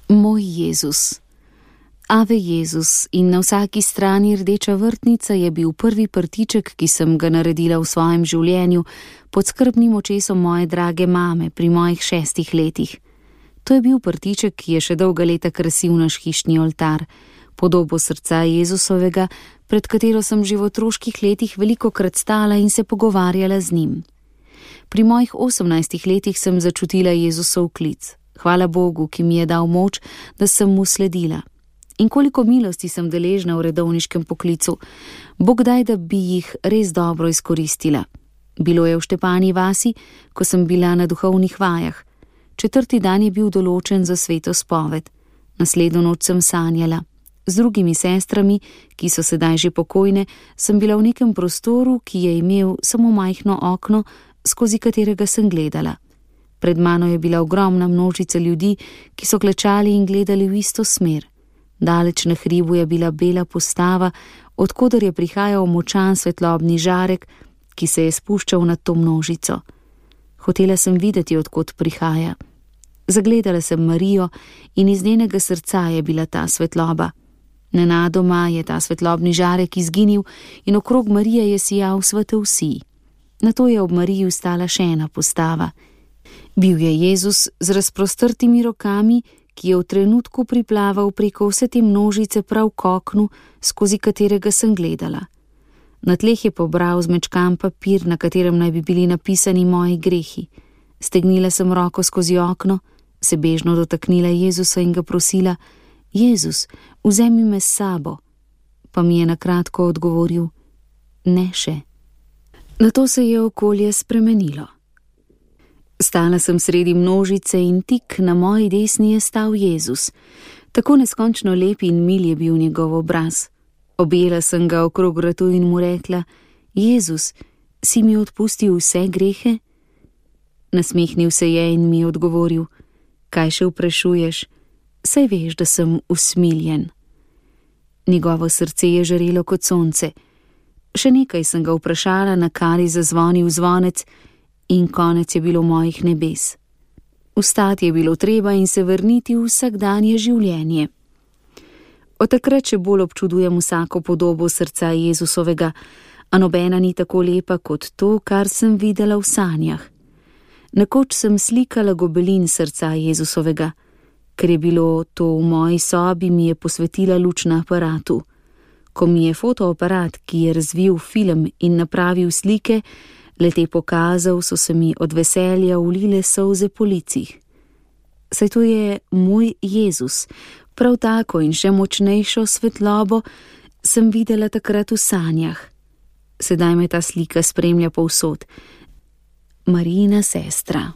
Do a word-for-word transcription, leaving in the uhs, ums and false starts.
Moj Jezus. Ave Jezus in na vsaki strani rdeča vrtnica je bil prvi prtiček, ki sem ga naredila v svojem življenju pod skrbnim očesom moje drage mame pri mojih šestih letih. To je bil prtiček, ki je še dolga leta krasil naš hišni oltar, podobo srca Jezusovega, pred katero sem že v otroških letih velikokrat stala in se pogovarjala z njim. Pri mojih osemnajstih letih sem začutila Jezusov klic. Hvala Bogu, ki mi je dal moč, da sem mu sledila. In koliko milosti sem deležna v redovniškem poklicu. Bog daj, da bi jih res dobro izkoristila. Bilo je v Štepani vasi, ko sem bila na duhovnih vajah. Četrti dan je bil določen za sveto spoved. Naslednjo noč sem sanjala. Z drugimi sestrami, ki so sedaj že pokojne, sem bila v nekem prostoru, ki je imel samo majhno okno, skozi katerega sem gledala. Pred mano je bila ogromna množica ljudi, ki so klečali in gledali v isto smer. Daleč na hribu je bila bela postava, odkoder je prihajal močan svetlobni žarek, ki se je spuščal nad to množico. Hotela sem videti, odkot prihaja. Zagledala sem Marijo in iz njenega srca je bila ta svetloba. Nenadoma je ta svetlobni žarek izginil in okrog Marije je sijal svetel sij. Nato je ob Mariji stala še ena postava. Bil je Jezus z razprostrtimi rokami, ki je v trenutku priplaval preko vse te množice prav k oknu, skozi katerega sem gledala. Na tleh je pobral zmečkan papir, na katerem naj bi bili napisani moji grehi. Stegnila sem roko skozi okno, se bežno dotaknila Jezusa in ga prosila: Jezus, vzemi me s sabo. Pa mi je na kratko odgovoril: ne še. Nato se je okolje spremenilo. Stala sem sredi množice in tik na moji desni je stal Jezus. Tako neskončno lep in mil je bil njegov obraz. Objela sem ga okrog vratu in mu rekla: Jezus, si mi odpustil vse grehe? Nasmehnil se je in mi odgovoril: kaj še vprašuješ? Saj veš, da sem usmiljen. Njegovo srce je žarelo kot sonce. Še nekaj sem ga vprašala, na kar je zazvonil zvonec, in konec je bilo mojih nebes. Vstati je bilo treba in se vrniti v vsakdanje življenje. Od takrat še bolj občudujem vsako podobo srca Jezusovega, a nobena ni tako lepa kot to, kar sem videla v sanjah. Nekoč sem slikala gobelin srca Jezusovega. Ker je bilo to v moji sobi, mi je posvetila luč na aparatu. Ko mi je fotoaparat, ki je razvil film in napravil slike, le-te pokazal, so se mi od veselja ulile solze po licih. Saj to je moj Jezus, prav tako in še močnejšo svetlobo sem videla takrat v sanjah. Sedaj me ta slika spremlja povsod. Marijina sestra.